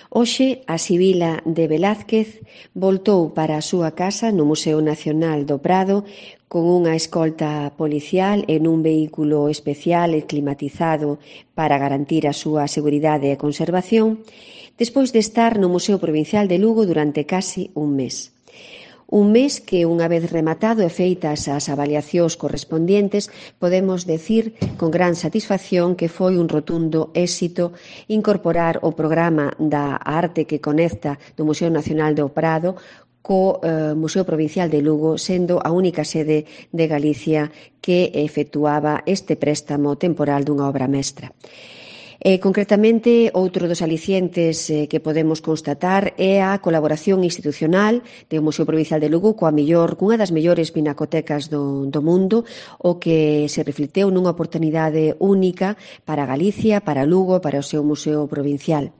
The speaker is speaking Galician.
Hoxe, a Sibila de Velázquez voltou para a súa casa no Museo Nacional do Prado con unha escolta policial en un vehículo especial e climatizado para garantir a súa seguridade e conservación, despois de estar no Museo Provincial de Lugo durante casi un mes. Un mes que, unha vez rematado e feitas as avaliacións correspondientes, podemos decir con gran satisfacción que foi un rotundo éxito incorporar o programa da arte que conecta do Museo Nacional do Prado co Museo Provincial de Lugo, sendo a única sede de Galicia que efectuaba este préstamo temporal dunha obra mestra. Concretamente, outro dos alicientes que podemos constatar é a colaboración institucional do Museo Provincial de Lugo cunha das mellores pinacotecas do mundo, o que se reflecteu nunha oportunidade única para Galicia, para Lugo, para o seu Museo Provincial.